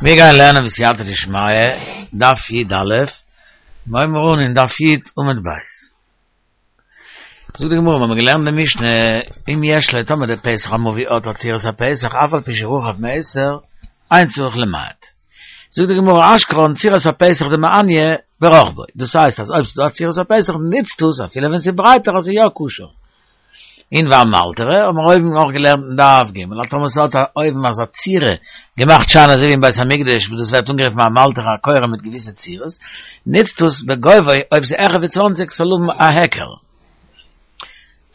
מיר גייען לערנען בסייעתא דשמיא, דף י א, מיר הייבן אן אין דף י עמוד ב'. זאגט די גמרא, מיר האבן געלערנט די משנה, אם יש לו טאמער די פתח המבוי האט א צורת הפתח אף על פי שרחב מעשר, אין צריך למעט. זאגט די גמרא, אשכחן צורת הפתח דמעניא ברחבו, דאס הייסט אז אויב ס'איז דא א צורת הפתח נוצט עס אפילו ווען ס'איז ברייטער אז ס'איז יא כשר. און ואמלתרא האבן מיר אויבן אויך געלערנט אין דף ג' אז טאמער ס'האט אויבן אזא צורה געמאכט שיין אזוי ווי אין בית המקדש וואס דאס ווערט אנגערופן אמלתרא א קורה מיט געוויסע צורות, נוצט עס בגובהו אויב ס'איז העכער ווי צוואנציג ס'זאל האבן א היכר.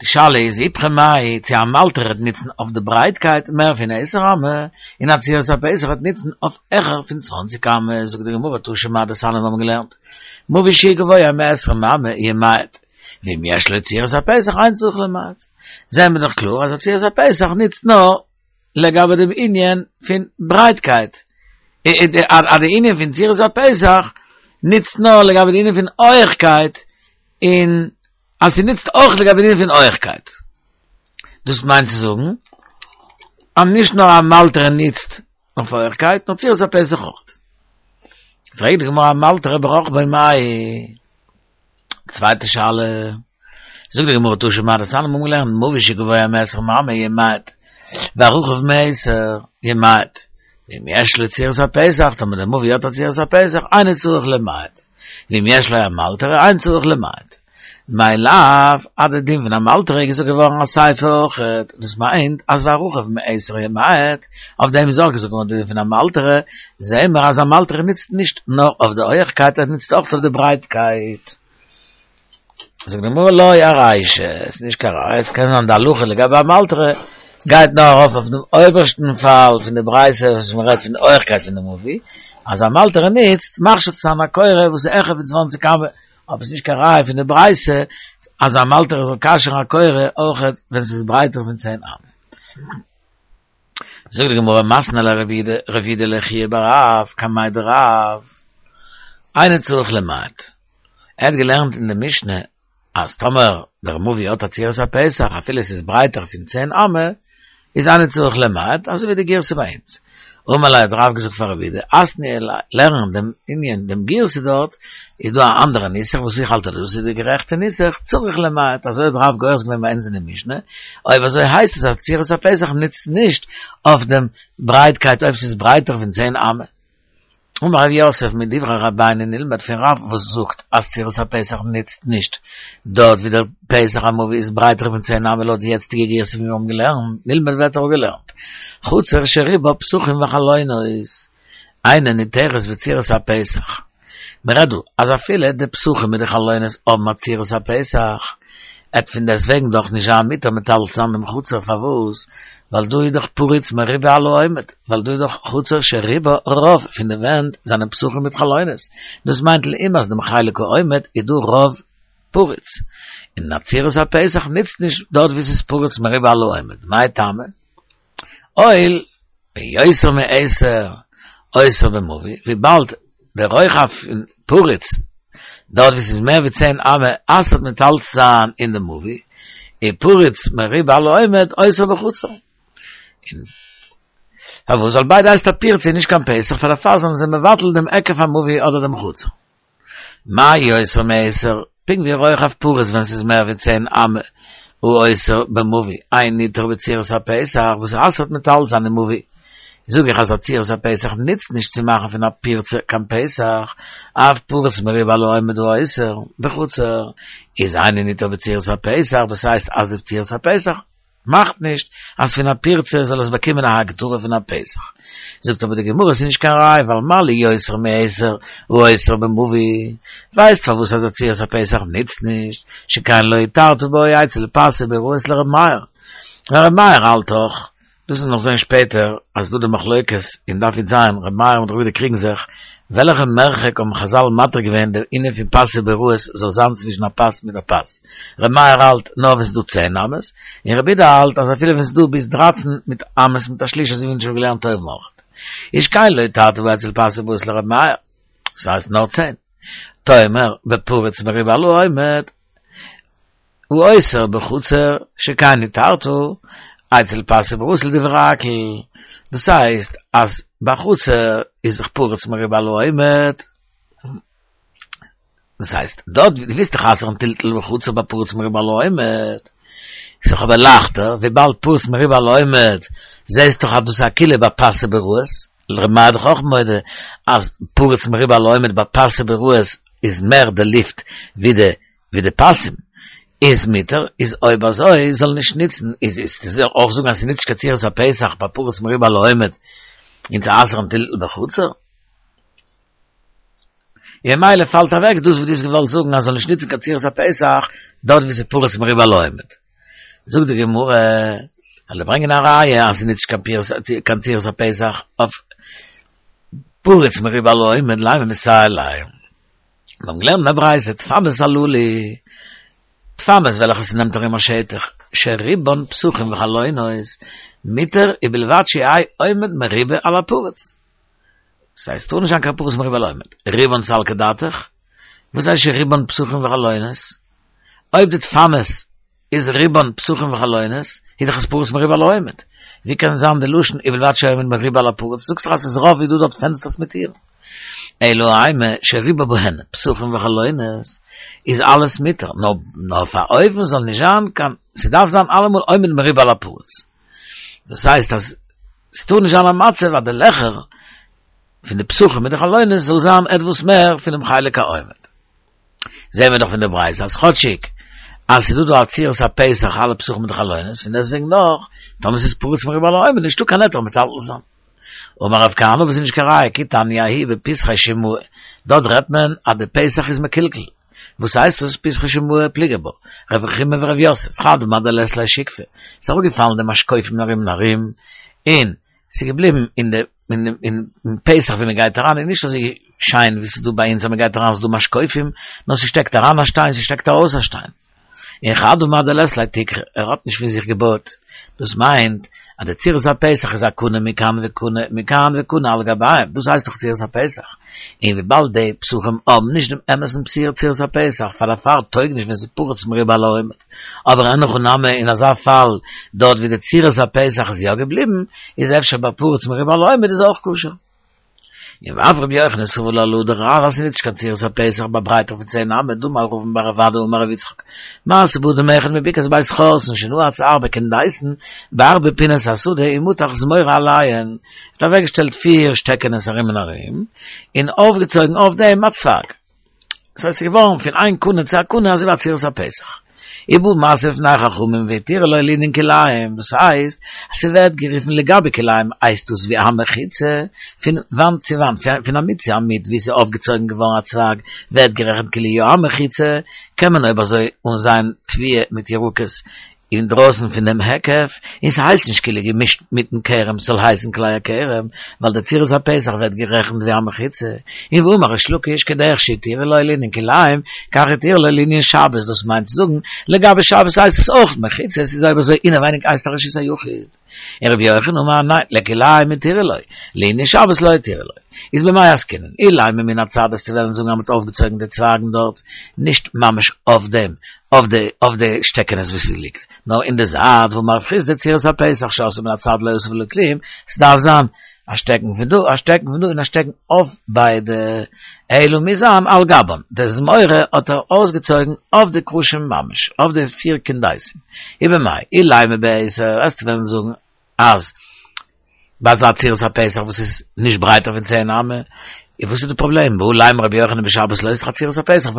די שאלה איז איפכא מאי צו אמלתרא וועט נוצן אויף די ברייטקייט מער פון עשר אמה, און א צורת הפתח וועט נוצן אויף העכער פון צוואנציג אמה, זאגט די גמרא תא שמע דתניא מיר האבן געלערנט מבוי שהוא גבוה מעשרים אמה ימעט. ואם יש לו צורת הפתח אין צריך למעט. זעהן מיר דאך קלאר אז א צורת הפתח נוצט נאר לגבי דעם ענין פון ברייטקייט. אז די ענין פון צורת הפתח נוצט נאר לגבי די ענין פון הויכקייט, און אז ס'נוצט אויך לגבי די ענין פון הויכקייט. דאס מיינט צו זאגן אז נישט נאר אמלתרא נוצט אויף הויכקייט, נאר צורת הפתח אויך. פרעגט די גמרא אמלתרא ברחבו מאי. צווייטע שאלה, זאגט די גמרא תא שמע דתניא מיר האבן געלערנט מבוי שגבוה מעשרים אמה ימעט, והרחב מעשר ימעט, ואם יש לו צורת הפתח, טאמער דער מבוי האט א צורת הפתח, אינו צריך למעט, ואם יש לו אמלתרא אין צריך למעט. מאי לאו, אז די דין פון אמלתרא איז געזאגט געווארן אסיפא אויכעט, דאס מיינט אז והרחב מעשר ימעט, אויף דעם איז אויך געזאגט געווארן די דין פון אמלתרא, זעהן מיר אז אמלתרא נוצט נישט נאר אויף די הויעכקייט ער נוצט אויך אויף די ברייטקייט. זאגט די גמרא לא ארישא, עס איז נישט קיין ראיה, עס קען זיין די הלכה לגבי אמלתרא גייט נאר ארויף אויף דעם אויבערשטן פאל פון די ברייתא וואס מען רעדט פון די הויעכקייט פון די מבוי, אז אמלתרא נוצט מכשיר צו זיין א קורה וואס איז העכער פון צוואנציג אמה, אבער עס איז נישט קיין ראיה פון די ברייתא אז אמלתרא זאל כשר'ן א קורה אויך ווען עס איז ברייטער פון צען אמה. זאגט די גמרא מתני ליה רב יהודה לחייא בר רב קמיה דרב אינו צריך למעט ער האט געלערנט אין די משנה אז טאמער דער מבוי האט א צורת הפתח אפילו עס איז ברייטער פון צען אמה איז אינו צריך למעט אזוי ווי די גירסא ביי אונז אמר ליה האט רב געזאגט פאר רב יהודה אתני לערן דעם ענין דעם גירסא דארט איז דא א אנדערע נוסח וואס איך האלט אז דאס איז די גערעכטע נוסח, צריך למעט, אזוי האט רב גורס געווען ביי אונז אין די משנה, אויב אזוי הייסט עס אז צורת הפתח נוצט נישט אויף דעם ברייטקייט אויב ס'איז ברייטער פון צען אמה. אמר רב יוסף מדברי רבינו נלמד פון רב וואס זאגט אז צורת הפתח נוצט נישט דארט ווי דער פתח המבוי איז ברייטער פון צען אמה לויט די יעצטיגע גירסא ווי מיר האבן געלערנט, נלמד ווערט אפגעלערנט חצר שרובה פתחים וחלונות. אינה ניתרת בצורת הפתח. מען רעדט דא אז אפילו די פתחים מיט די חלונות האבן א צורת הפתח, עט פון דעסט וועגן דאך נישט זיין מותר מטלטל זיין דעם חצר, פארוואס? ווייל דא איז דאך פרוץ מרובה על העומד, ווייל דא איז דאך חצר שרובה רוב פון די ווענט זענען פתחים מיט חלונות, דאס מיינט לעומת דעם חלק העומד איז דא רוב פרוץ, און א צורת הפתח נוצט נישט דארט וואו ס'איז פרוץ מרובה על העומד, מאי טעמא? הואיל ויותר מעשר אוסר במבוי, וויבאלד דער רוחב פון פרוץ דארט וואו ס'איז מער ווי צען אמה אסר'ט מטלטל זיין אין די מבוי, און פרוץ מרובה על העומד אוסר בחצר. און פארוואס ווייל ביידע הייסט א פירצה און נישט קיין פתח, פאר דערפאר זענען זיי מבטל דעם היקף המבוי אדער דעם חצר. מה יותר מעשר, פונקט ווי רוחב פרוץ ווען ס'איז מער ווי צען אמה הוא אוסר במבוי, אינו ניתר בצורת הפתח וואס אסר'ט מטלטל זיין אין מבוי. זאג איך אז א צורת הפתח נוצט נישט צו מאכן פון א פירצה קיין פתח, אף פרוץ מרובה על העומד הוא אוסר בחצר, איז אינו ניתר בצורת הפתח, דאס הייסט אז די צורת הפתח מאכט נישט אז פון א פירצה זאל עס באקומען א הגדרה פון א פתח. זאגט אבער די גמרא ס'איז נישט קיין ראי' ווייל מה לי יותר מעשר הוא אוסר במבוי, ווייסט פארוואס אז א צורת הפתח נוצט נישט, שכן לא התרת בו אצל פסי ביראות לר' מאיר, ווייל ר' מאיר האלט דאך דאס וועט מען נאך זען שפעטער אז ס'דא די מחלוקת אין דף י"ז, ר' מאיר מיט ר' יהודה קריגן זיך, וועלכע מרחק האבן חזל מתיר געווען דער ענין פון פסי ביראות זאל זיין צווישן א פס מיט א פס, ר' מאיר האלט נאר ווען ס'איז דא צען אמות, און ר' יהודה האלט אז אפילו ווען ס'איז דא ביז דרייצן מיט אמות מיט א שליש אזוי ווי אונז שוין געלערנט אויבן אויך. איז שכן לא התרת בו אצל פסי ביראות לר' מאיר, ס'הייסט נאר צען. תאמר בפרוץ מרובה על העומד. הוא אוסר בחצר שכן התרת אצל פסי ביראות לדברי הכל, דאס הייסט אז. בחצר איז דאך פרוץ מרובה על העומד. דאס הייסט, דארט ווי דו ווילסט דאך אסר'ן טלטול בחצר ביי פרוץ מרובה על העומד, איז דאך אבער לייכטער, וויבאלד פרוץ מרובה על העומד, זעהסט דאך אז דאס איז א קולא ביי פסי ביראות, ר' מאיר איז דאך אויך מודה אז פרוץ מרובה על העומד ביי פסי ביראות איז מער די לופט ווי די ווי די פסים, איז מותר, איז אויב אזוי זאל נישט ניצן, איז איז זאל אויך זאגן אז ס'ניצט נישט קיין צורת הפתח ביי פרוץ מרובה על העומד און צו אסר'ן טלטול בחצר. און ממילא פאלט אוועק דאס וואס דו האסט געוואלט זאגן אז זאל נישט ניצן קיין צורת הפתח דארט וואו ס'איז פרוץ מרובה על העומד. זאגט די גמרא, זאל ער ברענגען א ראיה אז ס'ניצט נישט קיין צורת הפתח אויף פרוץ מרובה על העומד לימא מסייע ליה. מיר האבן געלערנט אין א ברייתא דפנות הללו, דפנות וועלכע ס'נעמט ארום א שטח שרובן פתחים וחלונות, מותר ובלבד שיהא עומד מרובה על הפרוץ. ס'הייסט ס'טאר נישט זיין קיין פרוץ מרובה על העומד. רובן סלקא דעתך? וואס הייסט שרובן פתחים וחלונות? אויב די דפנות איז רובן פתחים וחלונות, איז דאך עס פרוץ מרובה על העומד. ווי קען זיין די לשון ובלבד שיהא עומד מרובה על הפרוץ? זאגסט דאך אז ס'איז רוב איז דא דארט פענסטערס מיט טירן. אלא אימא שריבה בהן פתחים וחלונות איז אלעס מותר, נאר אויף א אופן זאל נישט זיין קיין, ס'דארף זיין אלעמאל עומד מרובה על הפרוץ. דאס הייסט אז ס'טאר נישט זיין א מצב אז די לעכער פון די פתחים מיט די חלונות זאל זיין עטוואס מער פונעם חלק העומד. זעהן מיר דאך פון די ברייתא אז כאטשיג אז ס'איז דא דא א צורת הפתח אלע פתחים מיט די חלונות, פון דעסטוועגן נאך, טאמער ס'איז פרוץ מרובה על העומד נישטא קיין היתר מטלטל זיין. אמר רב כהנא אבער ס'איז נישט קיין ראיה כי תניא ההיא בפתחי שימועה, דארט רעדט מען אז די פתח איז מקולקל, וואס הייסט דאס פתחי שימועה פליגי בה, רב רחומי ורב יוסף, חד אמר דלית ליה שיקפי, ס'איז אראפגעפאלן די משקופים ארום און ארום, און ס'איז געבליבן אין די אין פתח ווי מ'גייט אריין איז נישט אזוי שיין ווי ס'איז דא ביי אונז אז מ'גייט אריין איז דא משקופים, נאר ס'שטעקט אריין א שטיין ס'שטעקט ארויס א שטיין. און חד אמר דלית ליה תקרה, ער האט נישט פון זיך געבויט, דאס מיינט אז די צורת הפתח איז א קנה מכאן וקנה מכאן וקנה על גביהם, דאס הייסט דאך צורת הפתח, און וויבאלד די פתחים האבן נישט דעם אמת'ן צורת הפתח, פאר דערפאר טויג נישט ווען ס'איז פרוץ מרובה על העומד, אבער אין הכי נמי אין אזא פאל דארט ווי די צורת הפתח איז יא געבליבן, איז אפשר ביי פרוץ מרובה על העומד איז אויך כשר. און ואף רבי יוחנן סבר לה לדרב אז ס'ניצט נישט קיין צורת הפתח ביי ברייטער פון צען אמה דאמר רבין בר רב אדא אמר רבי יצחק מעשה באדם אחד מבקעת בית חורתן שנעץ ארבע קונדסין בארבע פינות השדה ומתח זמורה עליהן ער האט אוועקגעשטעלט פיר שטעקענעס ארום און ארום און אויפגעצויגן אויף דעם א צווייג. ס'הייסט ס'איז געווארן פון איין קנה צו א קנה אזוי ווי א צורת הפתח. ובא משא לפני חכמים והתירו לו לענין כלאים, דאס הייסט אז ס'ווערט גערופן לגבי כלאים הייסט דאס ווי א מחיצה פון וואנט צו וואנט, פון עמוד צו עמוד ווי ס'איז אויפגעצויגן געווארן א צווייג ווערט גערעכנט כאילו יא א מחיצה, קען מען אויב אזוי אנזייען תבואה מיט ירקות אינדרויסן פון דעם היקף, און ס'הייסט נישט כאילו געמישט מיטן כרם ס'זאל הייסן כלאי הכרם, ווייל די צורת הפתח ווערט גערעכנט ווי א מחיצה, און ואמר ריש לקיש כדרך שהתירו לו לענין כלאים, כך התירו לו לענין שבת, דאס מיינט צו זאגן, לגבי שבת הייסט עס אויך מחיצה, ס'איז אויב אזוי אינעווייניג הייסט א רשות היחיד. און רבי יוחנן אמר ניין, לכלאים התירו לו, לענין שבת לא התירו לו. איז במאי עסקינן? אילימא מן הצד וועסטו וועלן זאגן אז מ'האט אויפגעצויגן די צווייגן דארט, נישט ממש אויף דעם, אויף די אויף די שטעקענעס וואס ס'ליגט, נאר אין די זייט והאמר רב חסדא צורת הפתח שעשאה מן הצד לא עשה ולא כלום, ס'דארף זיין א שטעקן פון דא, א שטעקן פון דא און א שטעקן אויף ביידע, אלא מוז זיין על גבן, די זמורה האט ער אויסגעצויגן אויף די קרשים ממש, אויף די פיר קונדסים, ובמאי אילימא בעשר, וועסטו וועלן זאגן אז ביי אזא צורת הפתח וואס איז נישט ברייטער פון צען אמה, און וואס איז די פראבלעם? והא לימא רבי יוחנן בשבת לא, ס'איז דאך א צורת הפתח,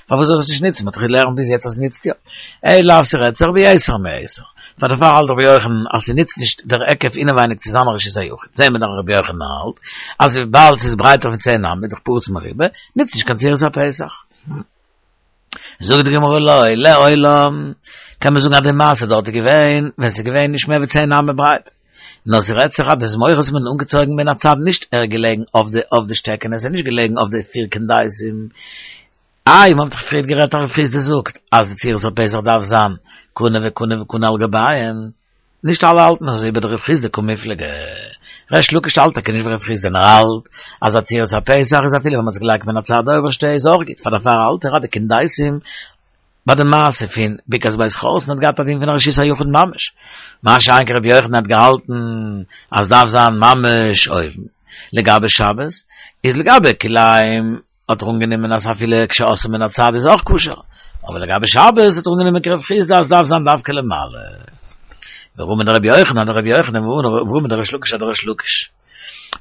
פארוואס זאל ער עס נישט ניצן? מ'האט דאך געלערנט ביז יעצט אז ס'ניצט יא. אלא לאו ס'רעדט זיך ביתר מעשר. פאר דערפאר האלט רבי יוחנן אז ס'ניצט נישט דער היקף אינעווייניג צו זיין א רשות היחיד. זעהן מיר דאך רבי יוחנן האלט אז וויבאלד ס'איז ברייטער פון צען אמה איז דאך פרוץ מרובה, ניצט נישט קיין צורת הפתח. זאגט די גמרא לא, לעולם, קען מען זאגן אז די מעשה דארט איז געווען ווען ס'איז געווען נישט מער ווי צען אמה ברייט, נאר ס'רעדט זיך אז די זמורות האט מען אנגעצויגן מן הצד נישט ער געלעגן אויף די אויף די שטעקענעס ער איז נישט געלעגן אויף די פיר קונדסים, איי מ'האט דאך פריערט גערעדט אז רב חסדא זאגט אז די צורת הפתח דארף זיין קנה וקנה וקנה על גביהן, נישט אלע האלטן אזוי ובדרב חסדא קמיפלגי. ריש לקיש האלט טאקע נישט ווי רב חסדא נאר האלט אז א צורת הפתח איז אפילו ווען מ'האט עס געלייגט מן הצד די אויבערשטע איז אויך גוט פאר דערפאר האלט ער אז די קונדסים ביי די מעשה פון בקעת בית חורתן האט געהאט א דין פון א רשות היחיד ממש מה שאין כן רבי יוחנן האט געהאלטן אז דארף זיין ממש אויבן. לגבי שבת, איז לגבי כלאים האט ער אנגענומען אז אפילו כשעשאן מן הצד איז אויך כשר, אבער לגבי שבת האט ער אנגענומען כרב חיסדא אז דארף זיין דווקא למעלה. ורמי דרבי יוחנן אדרבי יוחנן ורמי דריש לקיש אדריש לקיש.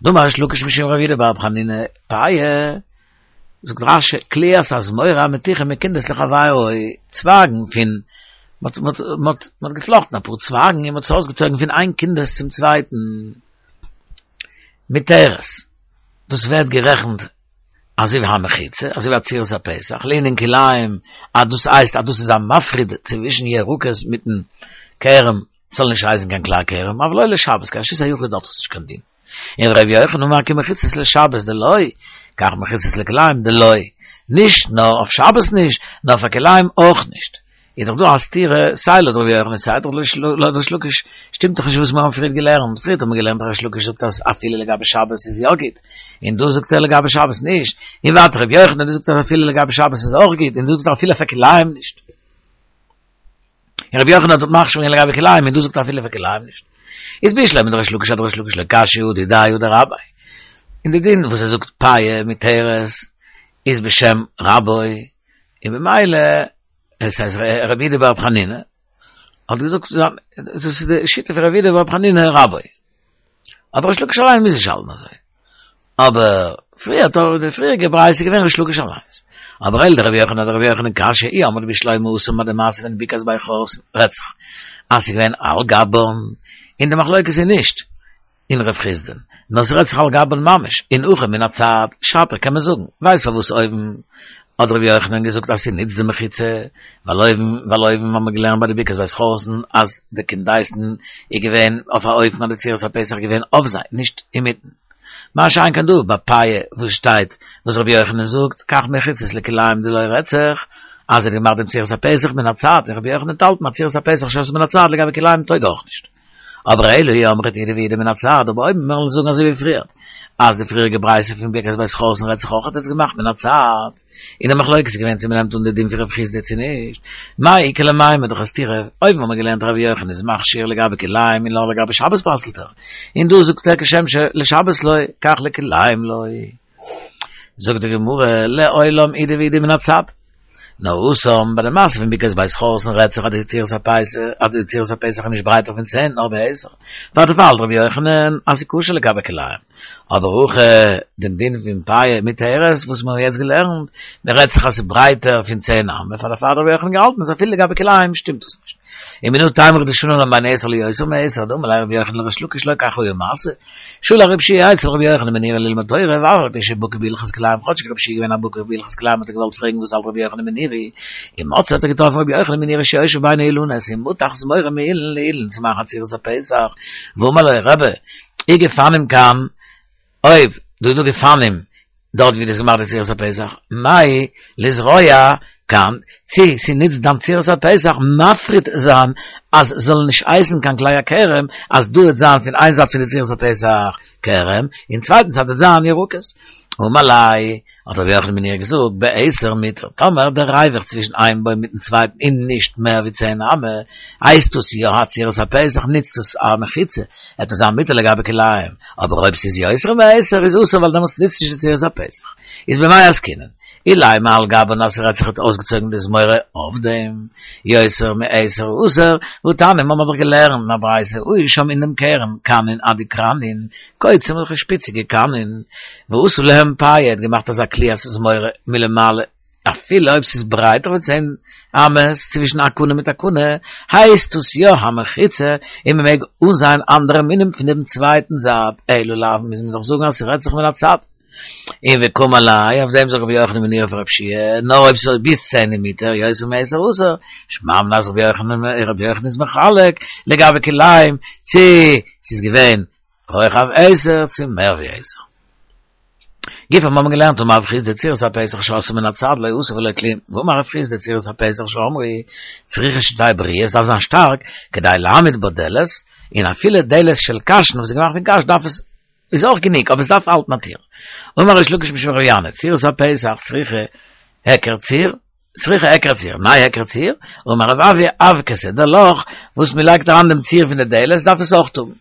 דאמר ריש לקיש משום רבי יהודה בר חנינא פאה, זאגט רש"י, קליעת הזמורה המתוכה מקונדס לחבירו, צווייגן פון, מ'האט מ'האט געפלאכטן אפאר צווייגן און מ'האט עס אויסגעצויגן פון איין קונדס צום צווייטן, מותרת, דאס ווערט גערעכנט אזוי ווי א מחיצה, אזוי ווי א צורת הפתח, לענין כלאים, אז דאס הייסט אז דאס איז א מפריד צווישן ירקות מיטן כרם, ס'זאל נישט הייסן קיין כלאי הכרם, אבל לא לשבת, קיין רשות היחיד האט עס נישט קיין דין. און ר' יוחנן אמר כמחיצות לשבת דלא, כך מחיצות לכלאים דלא, נישט נאר אויף שבת נישט, נאר פאר כלאים אויך נישט. איז דאך דא א סתירה סיי לויט ר' יוחנן סיי לויט ריש לקיש, שטימט דאך נישט וואס מיר האבן פריערט געלערנט, פריערט האט מען געלערנט ריש לקיש זאגט אז אפילו לגבי שבת איז יא גוט, און דא זאגט ער לגבי שבת נישט, און ווייטער ר' יוחנן דו זאגסט אז אפילו לגבי שבת איז אויך גוט, און דו זאגסט אפילו פאר כלאים נישט. און רבי יוחנן האט מכשיר געווען לגבי כלאים און דא זאגט ער אפילו פאר כלאים נישט. איז בשלמא דריש לקיש אדריש לקיש לא קשיא הא דידיה הא דרביה. און די דין וואס ער זאגט פאה מותרת איז בשם רבו און במילא עס הייסט רבי יהודה בר חנינא האט געזאגט דאס איז די שיטה פון רבי יהודה בר חנינא רבו. אבער ריש לקיש אליין מוז נישט האלטן אזוי. אבער פריער האט די פריעריגע ברייתא איז געווען ריש לקיש אליינס. אבער אלא דרבי יוחנן אדרבי יוחנן קשיא אי אמרת בשלמא התם ביי די מעשה פון בקעת בית חורתן רעדט זיך אז ס'איז געווען על גבן און די מחלוקת איז נישט אין רב חיסדא'ן נאר ס'רעדט זיך על גבן ממש און הכא מן הצד שפיר קען מען זאגן ווייסט פארוואס אויבן האט רבי יוחנן געזאגט אז ס'נוצט די מחיצה, ווייל אויבן, ווייל אויבן האט מען געלערנט ביי די בקעת בית חורתן אז די קונדסין איז געווען אויף א אופן אז די צורת הפתח איז געווען אויף זיי, נישט אינמיטן. מה שאין כן דא ביי פאה וואס שטייט וואס רבי יוחנן זאגט, כך מחיצות לכלאים דלא רעדט זיך אז ער האט געמאכט דעם צורת הפתח מן הצד, און רבי יוחנן האלט אז צורת הפתח שעשאן מן הצד לגבי כלאים טויג אויך נישט. אבער אלא אי אמרת אידי ואידי מן הצד, אבער אויב מיר וועלן זאגן אזוי ווי פריערט, אז די פריעריגע ברייתא פון בקעת בית חורתן רעדט זיך אויך האט עס געמאכט מן הצד, און די מחלוקת איז געווען צו מ'נעמט אן די דין פון רב חיסדא צו נישט, מאי איכא למימר דאך א סתירה, אויבן האט מען געלערנט רבי יוחנן איז מכשיר לגבי כלאים און נאר לגבי שבת פסל'ט ער, און דא זאגט ער כשם שלשבת לא, כך לכלאים לא. זאגט די גמרא, לעולם אידי ואידי מן הצד. נאר התם ביי די מעשה פון בקעת בית חורתן רעדט זיך אז די צורת הפתח אז די צורת הפתח איז נישט ברייטער פון צען נאר בעשר פאר דערפאר האלט רבי יוחנן אז ס'איז כשר לגבי כלאים אבער הכא דעם דין פון פאה מותרת וואס מיר האבן יעצט געלערנט מען רעדט זיך אז ס'איז ברייטער פון צען אמה פאר דערפאר האט רבי יוחנן געהאלטן אז אפילו לגבי כלאים שטימט דאס נישט. ומנא תימרא דשני לן בין עשר ליותר מעשר דאמר ליה רבי יוחנן לריש לקיש לא כך היה מעשה שלח רבי יהושע אצל רבי יוחנן בן נורי ללמוד תורה, ואף על פי שבקי בהלכות כלאים, כאטשיג רבי יהושע איז געווען א בקי בהלכות כלאים האט ער געוואלט פרעגן וואס האלט רבי יוחנן בן נורי, ומצאו האט ער געטראפן רבי יוחנן בן נורי שיושב בין האילנות ומתח זמורה מאילן לאילן צו מאכן א צורת הפתח, ואמר לו רבי, אי גפנים כאן, אויב דא איז דא גפנים דארט ווי דו האסט געמאכט די צורת הפתח, מהו לזרוע כאן, צי ס'נוצט דיין צורת הפתח מפריד זיין אז ס'זאל נישט הייסן קיין כלאי הכרם, אז דא וועט זיין פון איין זייט פון די צורת הפתח כרם, און צווייטן זייט וועט זיין ירקות. אמר ליה, האט רבי יוחנן בן נורי געזאגט, בעשר מותר, טאמער דער ריווח צווישן איין בוים מיטן צווייטן איז נישט מער ווי צען אמה, הייסט דאס יא א צורת הפתח, נוצט עס א מחיצה, וועט עס זיין מותר לגבי כלאים, אבער אויב ס'איז יותר מעשר איז אסור ווייל דעמאלטס נוצט נישט די צורת הפתח. איז במאי עסקינן? אילימא על גבן אז ס'רעדט זיך האט אויסגעצויגן די זמורה אויף דעם יותר מעשר אסור, והתניא מ'האט דאך געלערנט אין א ברייתא היו שם אין דעם כרם כנין אדיקרנין קוצים אזעלכע שפיציגע קנין ועשה להם פאה האט געמאכט אזא קליעת זמורה מלמעלה אפילו אויב ס'איז ברייטער פון צען אמות צווישן א קנה מיט א קנה הייסט דאס יא א מחיצה און מ'מעג אנזייען אנדערע מינים פון דעם צווייטן זייט אלא לאו מוז מען דאך זאגן אז ס'רעדט זיך מן הצד. און וקאמר ליה, אויף דעם זאגט רבי יוחנן בן נורי פאר רבי יהושע, נאר אויב ס'איז ביז צען איז מותר, יותר מעשר אסור, שמע מינה אז רבי יוחנן, רבי יוחנן איז מחלק לגבי כלאים, צו ס'איז געווען רוחב עשר צו מער ווי עשר. גופא האבן מיר געלערנט אמר רב חסדא צורת הפתח שעשאה מן הצד לא עשה ולא כלום, ואמר רב חסדא צורת הפתח שאמרו צריכה שתהא בריאה, עס דארף זיין שטארק כדי להעמיד בה דלת, און אפילו דלת של קש, וואס איז געמאכט פון קש דארף עס איז אויך גענוג, אבער עס דארף האלטן א טיר. אמר ריש לקיש משום רבי ינאי, צורת הפתח צריכה היכר צור, צריכה היכר צור, מאי היכר צור? אמר רב אויא אבקתא, דער לאך וואס מען לייגט אריין דעם ציר פון די דלת דארף עס אויך האבן.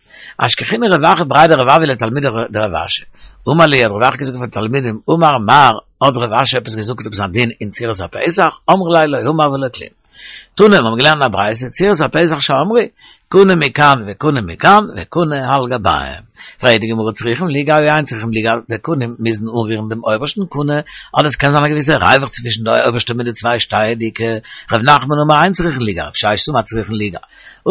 אשכחינהו רב אחא בריה דרב אבהו לתלמידי דרב אשי, אמר להו האט רב אחא געזאגט פאר די תלמידים, אמר מר, האט רב אשי עפעס געזאגט עפעס א דין אין צורת הפתח, אמרו ליה לא אמר ולא כלום. תנא, מיר האבן געלערנט אין א ברייתא, צורת הפתח שאמרו, קנה מכאן וקנה מכאן וקנה על גביהם. פרעגט די גמרא צריכים ליגע או אין צריכים ליגע, די קנים מוזן אנרירן דעם אויבערשטן קנה, אדער עס קען זיין א געוויסע ריווח צווישן די אויבערשטע מיט די צוויי שטייעדיגע, ר' נחמן אמר אין צריכים ליגע, רב ששת אמר צריכים ליגע.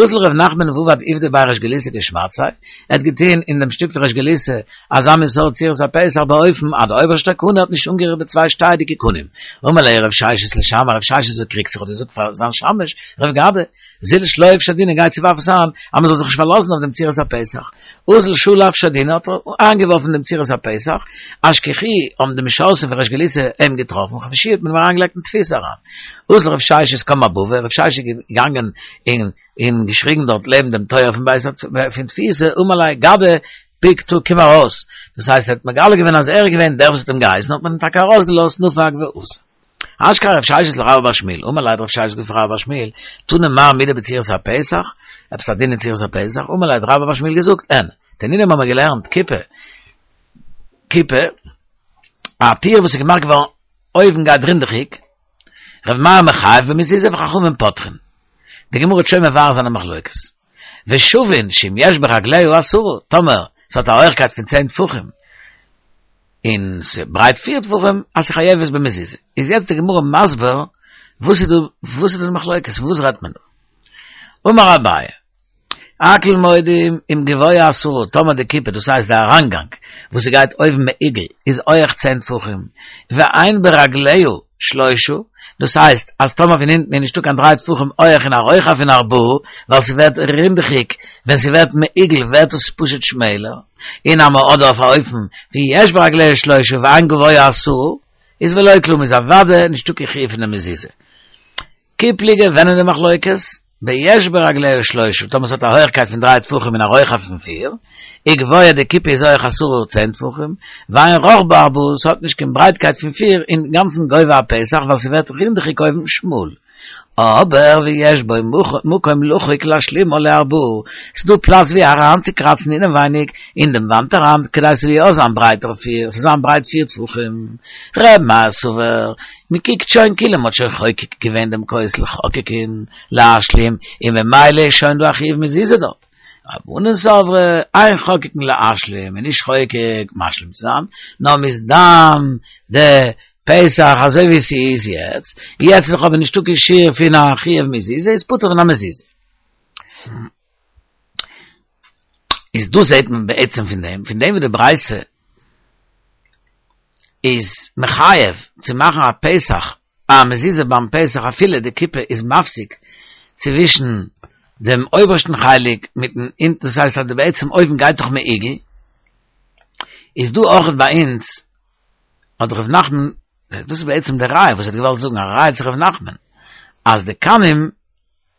אזל ר' נחמן ועבד עובדא בי ריש גלותא כשמעתתיה, ער האט געטוהן אין דעם שטוב פון ריש גלותא אזא מין סארט צורת הפתח באופן אז די אויבערשטע קנה האט נישט אנגערירט די צוויי שטייעדיגע קנים. אמר ליה רב ששת לשמעיה, רב ששת האט קריגט זיך האט געזאגט פאר זיין שמש רב גדא, זיל שלוף שדינא גיי צו ווארף עס איין אז מען זאל זיך נישט פארלאזן אויף דעם צורת הפתח. אזל שלף שדינא האט ער איינגעווארפן דעם צורת הפתח, אשכחוהו האבן די משרתים פון ריש גלותא אים געטראפן, חבשוהו האט מען אים אריינגעלייגט אין תפיסה אריין. אזל רב ששת קם אבבא, רב ששת איז געגאנגען און און געשריגן דארט לעבן דעם טויער פון בית פון תפיסה, אמר ליה גדא פקתא קום ארויס, דאס הייסט ער האט מגלה געווען אז ער איז געווען דער וואס האט אים געהייסן האט מען אים טאקע ארויסגעלאזט נפק ואתא. אשכחיה רב ששת לרבה בר שמואל, אמר ליה האט רב ששת געזאגט פאר רבה בר שמואל, תני מר מידי בצורת הפתח, עפעס א דין אין צורת הפתח, אמר ליה האט רבה בר שמואל געזאגט, אין, תנינא האבן מיר געלערנט, כיפה, כיפה, א טיר וואס איז געמאכט געווארן אויבן גייט רינדעכיג, ר' מאיר מחייב במזוזה וחכמים פוטרין. די גמרא וועט שוין מבאר זיין די מחלוקת. ושוין שאם יש ברגליה עשרה, טאמער ס'האט א הויכקייט פון צען טפחים, און ס'ברייט פיר טפחים, אז ס'חייבת במזוזה. איז יעצט די גמרא מסביר וואס איז דא, וואס איז דא די מחלוקת, פון וואס רעדט מען דא? אמר אביי, הכל מודים אם גבוה עשרה, טאמער די כיפה, דאס הייסט די אריינגאנג, וואס ס'גייט אויבן מעוגל, איז הויעך צען טפחים, ואין ברגליה שלושה, דאס הייסט אז טאמער פון אונטן איז נישטא קיין דריי טפחים הויעך און א רוחב פון ארבעה, ווייל ס'ווערט רינדעכיג, ווען ס'ווערט מעוגל ווערט עס פשוט שמעלער, און אז מ'האט אויף א אופן ווי יש ברגליה שלושה ואין גבוה עשרה, איז ולא כלום איז אוודאי נישטא קיין חיוב פון די מזוזה. כי פליגי ווען איז די מחלוקת? ביש ברגליה שלושה, טאמער ס'האט א הויכקייט פון דריי טפחים און א רוחב פון פיר, וגבוה די כיפה איז הויך עשרה צען טפחים, ואין רחבה ארבעה, ס'האט נישט קיין ברייטקייט פון פיר, אינגאנצן גובה הפתח ווייל ס'ווערט רינדעכיג אויבן שמאל. אבער ויש בו מקום לחוק להשלימה לארבעה, ס'דא פלאץ ווי אריינצוקראצן אינעווייניג אין דעם וואנט אריין כדי ס'זאל יא זיין ברייטער פיר, ס'זאל זיין ברייט פיר טפחים. ר' מאיר סבר, מ'קוקט שוין כאילו מ'האט שוין חוקק געווען דעם כותל חוקקין להשלים און ממילא איז שוין דא א חיוב מזוזה דארט. רבנן סברי, אין חוקקין להשלים, מ'איז נישט חוקק משלים צו זיין, נאר מ'איז דן די פתח אזוי ווי ס'איז יעצט, יעצט איז דאך אבער נישטא קיין שיעור פון א חיוב מזוזה, איז פטור פון א מזוזה. איז דא זעהט מען בעצם פון דעם, פון דעם וואס די ברייתא איז מחייב צו מאכן א פתח, א מזוזה ביים פתח אפילו די כיפה איז מפסיק צווישן דעם אויבערשטן חלק מיטן אונטן, דאס הייסט אז די בעצם אויבן גייט דאך מעוגל, איז דא אויכעט ביי אונז האט ר' נחמן, דאס איז בעצם די ראיה וואס ער האט געוואלט זאגן, א ראיה צו ר' נחמן, אז די קנים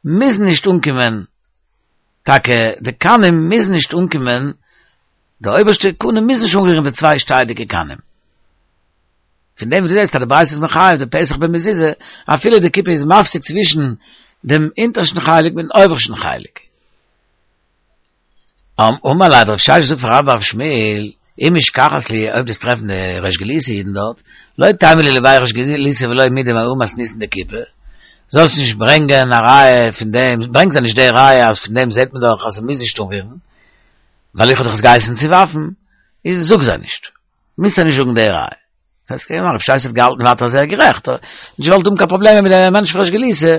מוזן נישט אנקומען, טאקע די קנים מוזן נישט אנקומען, די אויבערשטע קנה מוז נישט אנרירן די צוויי שטייעדיגע קנים. פון דעם וואס דו זעסט אז די ברייתא איז מחייב די פתח במזוזה, אפילו די כיפה איז מפסיק צווישן דעם אונטערשטן חלק מיטן אויבערשטן חלק. אמר ליה האט רב ששת געזאגט פאר רבה בר שמואל, אי משכחת להו אויב דו'סט טרעפן די ריש גלותא אידן דארט, לא תימא להו לבי ריש גלותא ולא מידי מהא מתניתין דכיפה, זאלסט נישט ברענגען א ראיה פון דעם, ברענג זיי נישט די ראיה אז פון דעם זעט מען דאך אז ס'מוז נישט אנרירן, ווייל איך האב דאך עס געהייסן צו ווארפן, איז זאג זיי נישט, מוזט זיי נישט זאגן די ראיה. דאס הייסט כמובן רב ששת האט געהאלטן ווייטער אז ער איז גערעכט, האט נישט געוואלט האבן קיין פראבלעמען מיט די מענטשן פון ריש גלותא,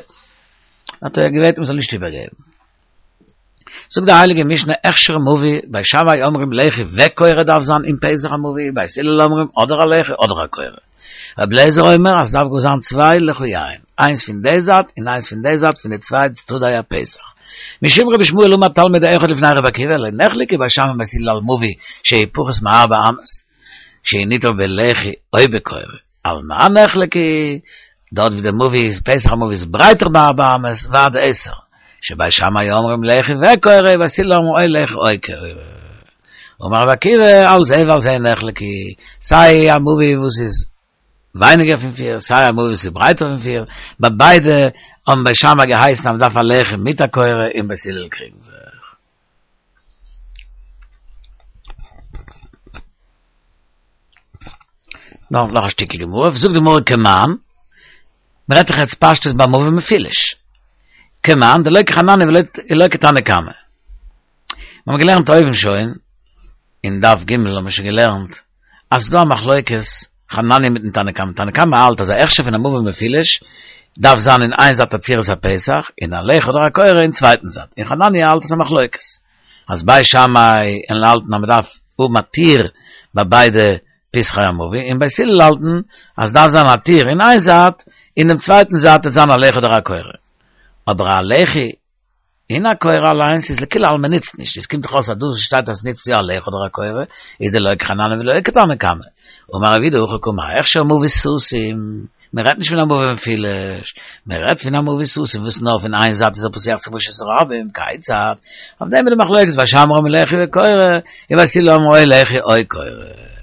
האט ער געבעטן מ'זאל נישט איבערגעבן. זאגט די הייליגע משנה הכשר מבוי, בית שמאי אומרים לחי וקורה דארף זיין אין פתח המבוי, בית הלל אומרים אדער א לחי אדער א קורה. רבי אליעזר אומר אז ס'דארף גאר זיין צוויי לחיים, איינס פון די זייט און איינס פון די זייט פון די צוויי צדדי הפתח. משום רבי ישמעאל אמר תלמיד אחד לפני רבי עקיבא, לא נחלקו בית שמאי ובית הלל על מבוי שהוא פחות מארבע אמות, שהוא ניטל בלחי או בקורה, על מה נחלקו? דארט ווי די מבוי איז פתח המבוי איז ברייטער מארבע אמות ועד עשר, שבית שמאי אומרים לחי וקורה, ובית הלל אומרים או לחי או קורה. אמר רבי עקיבא על זה ועל זה נחלקו, סיי א מבוי וואס איז ווייניגער פון פיר, סיי א מבוי וואס איז ברייטער פון פיר, ביי ביידע האבן בית שמאי געהייסן אז מען דארף א לחי מיט א קורה און בית הלל קריגן זיך. נאך נאך א שטיקל גמרא, זאגט די גמרא כמאן, מ'רעדט דאך יעצט פשטות ביי מבוי מפולש, כמאן דלא כחנניה ולא כתנא קמא. מיר האבן געלערנט אויבן שוין, אין דף ג' האבן מיר שוין געלערנט, אז ס'דא א מחלוקת חנניה מיטן תנא קמא, תנא קמא האלט אז א הכשר פון א מבוי מפולש דארף זיין אין איין זייט א צורת הפתח, און א לחי אדער א קורה אין צווייטן זייט, און חנניה האלט אז ס'א מחלוקת, אז בית שמאי וועלן האלטן אז מ'דארף האבן א טיר ביי ביידע פתחי המבוי, און בית הלל האלטן אז דארף זיין א טיר אין איין זייט, און דעם צווייטן זייט וועט זיין א לחי אדער א קורה. אבער א לחי און א קורה אליינס איז לכולי עלמא ניצט נישט, עס קומט דאך אויס אז דא שטייט אז עס ניצט יא א לחי אדער א קורה, איז דלא כחנניה ולא כתנא קמא. אמר רב יהודה הכי קאמר הכשר מבוי סתום, מען רעדט נישט פון א מבוי מפולש, מען רעדט פון א מבוי סתום וואס נאר פון איין זייט איז ער פותח צו רשות הרבים, כיצד? אויף דעם איז די מחלוקת בית שמאי אומרים לחי וקורה, און בית הלל אומרים או לחי או קורה.